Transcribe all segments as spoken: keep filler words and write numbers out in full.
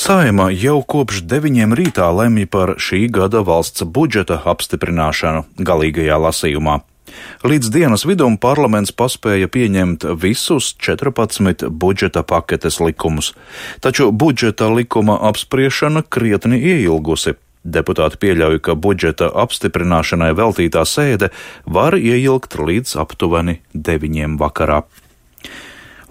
Saeima jau kopš deviņiem rītā lemj par šī gada valsts budžeta apstiprināšanu galīgajā lasījumā. Līdz dienas vidum parlaments paspēja pieņemt visus četrpadsmit budžeta paketes likumus, taču budžeta likuma apspriešana krietni ieilgusi. Deputāti pieļauj, ka budžeta apstiprināšanai veltītā sēde var ieilgt līdz aptuveni deviņiem vakarā.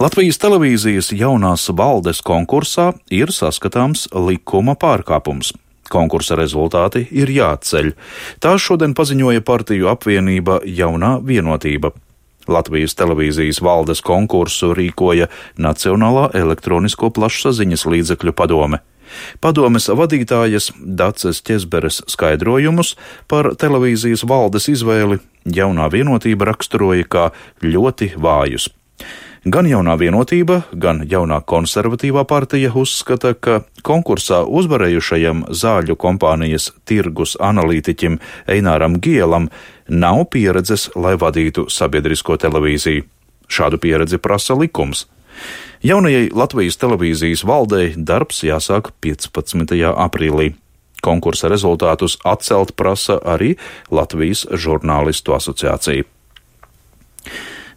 Latvijas televīzijas jaunās valdes konkursā ir saskatāms likuma pārkāpums. Konkursa rezultāti ir jāatceļ. Tā šodien paziņoja partiju apvienība Jaunā vienotība. Latvijas televīzijas valdes konkursu rīkoja Nacionālā elektronisko plašsaziņas līdzekļu padome. Padomes vadītājas Daces Ķezberes skaidrojumus par televīzijas valdes izvēli Jaunā vienotība raksturoja kā ļoti vājus. Gan Jaunā vienotība, gan Jaunā konservatīvā partija uzskata, ka konkursā uzvarējušajam zāļu kompānijas tirgus analītiķim Eināram Gielam nav pieredzes, lai vadītu sabiedrisko televīziju. Šādu pieredzi prasa likums. Jaunajai Latvijas televīzijas valdei darbs jāsāk piecpadsmitajā aprīlī. Konkursa rezultātus atcelt prasa arī Latvijas žurnālistu asociācija.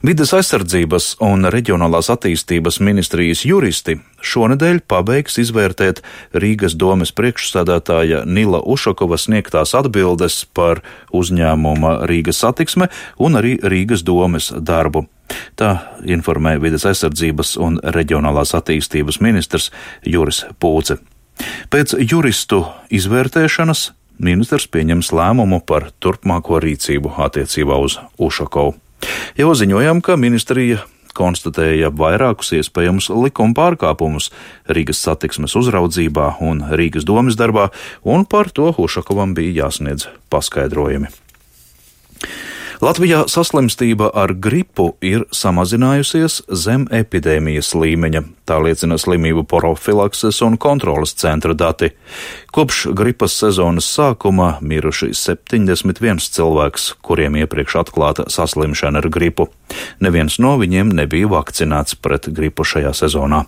Vides aizsardzības un reģionālās attīstības ministrijas juristi šonedēļ pabeigs izvērtēt Rīgas domes priekšsēdētāja Nila Ušakova sniegtās atbildes par uzņēmuma Rīgas satiksme un arī Rīgas domes darbu. Tā informē Vides aizsardzības un reģionālās attīstības ministrs Juris Pūce. Pēc juristu izvērtēšanas ministrs pieņems lēmumu par turpmāko rīcību attiecībā uz Ušakovu. Jau ziņojām, ka ministrija konstatēja vairākus iespējamus likuma pārkāpumus Rīgas satiksmes uzraudzībā un Rīgas domes darbā, un par to Ušakovam bija jāsniedz paskaidrojumi. Latvijā saslimstība ar gripu ir samazinājusies zem epidēmijas līmeņa, tā liecina slimību profilakses un kontroles centra dati. Kopš gripas sezonas sākuma miruši septiņdesmit viens cilvēks, kuriem iepriekš atklāta saslimšana ar gripu. Neviens no viņiem nebija vakcinēts pret gripu šajā sezonā.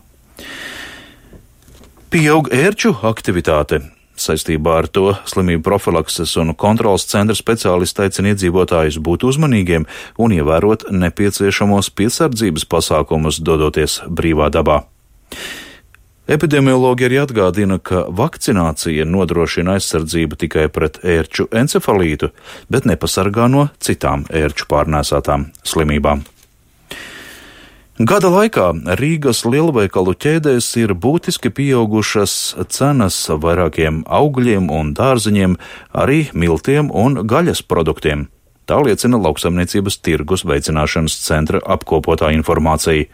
Pieaug ērču aktivitāte. Saistībā ar to slimību profilakses un kontrolas centra speciālisti aicina iedzīvotājus būt uzmanīgiem un ievērot nepieciešamos piesardzības pasākumus, dodoties brīvā dabā. Epidemiologi arī atgādina, ka vakcinācija nodrošina aizsardzību tikai pret ērču encefalītu, bet nepasargā no citām ērču pārnēsātām slimībām. Gada laikā Rīgas lielveikalu ķēdēs ir būtiski pieaugušas cenas vairākiem augļiem un dārzeņiem, arī miltiem un gaļas produktiem. Tā liecina Lauksaimniecības tirgus veicināšanas centra apkopotā informācija.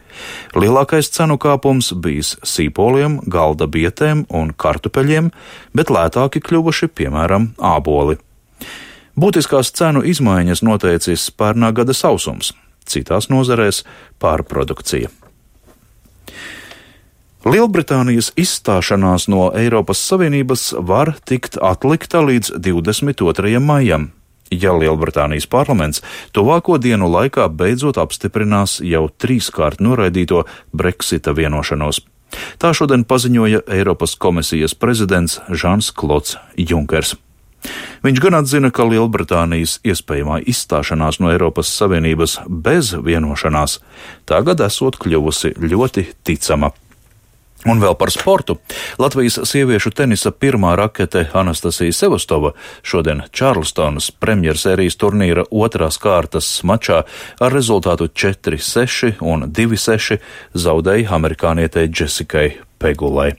Lielākais cenu kāpums bijis sīpoliem, galda bietēm un kartupeļiem, bet lētāki kļuvuši, piemēram, āboli. Būtiskās cenu izmaiņas noteicis pērnā gada sausums. Citās nozarēs pārprodukcija. Lielbritānijas izstāšanās no Eiropas Savienības var tikt atlikta līdz divdesmit otrajam maijam, ja Lielbritānijas parlaments tuvāko dienu laikā beidzot apstiprinās jau trīskārt noraidīto Brexita vienošanos. Tā šodien paziņoja Eiropas komisijas prezidents Žans Klods Junkers. Viņš gan atzina, ka Lielbritānijas iespējamā izstāšanās no Eiropas Savienības bez vienošanās tagad esot kļuvusi ļoti ticama. Un vēl par sportu. Latvijas sieviešu tenisa pirmā rakete Anastasija Sevastova šodien Čārlstonas premjersērijas turnīra otrās kārtas mačā ar rezultātu četri seši un divi seši zaudēja amerikānietei Džesikai Pegulai.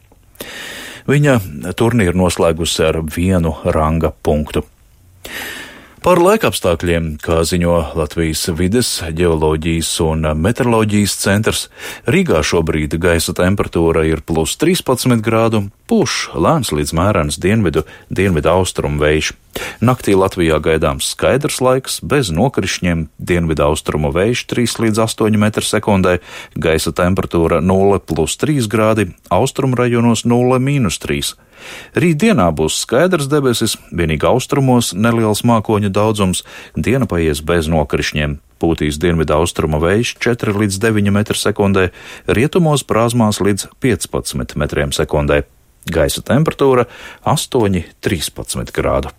Viņa turnīru noslēgusi ar vienu ranga punktu. Par laikapstākļiem, kā ziņo Latvijas vides, ģeoloģijas un meteoroloģijas centrs, Rīgā šobrīd gaisa temperatūra ir plus trīspadsmit grādu, pūš lēns līdz mērens dienvidu, dienvidu austrumu vējš. Naktī Latvijā gaidāms skaidrs laiks, bez nokrišņiem, dienvidu austrumu vējš trīs līdz astoņi metri sekundē, gaisa temperatūra nulle plus trīs grādi, austrumu rajonos nulle mīnus trīs. Rītdienā būs skaidrs debesis, vienīgi austrumos neliels mākoņu daudzums, diena paies bez nokrišņiem. Pūtīs dienvidu austrumu vējš četri līdz deviņi metri sekundē, rietumos brāzmās līdz piecpadsmit metriem sekundē. Gaisa temperatūra astoņi līdz trīspadsmit grādu.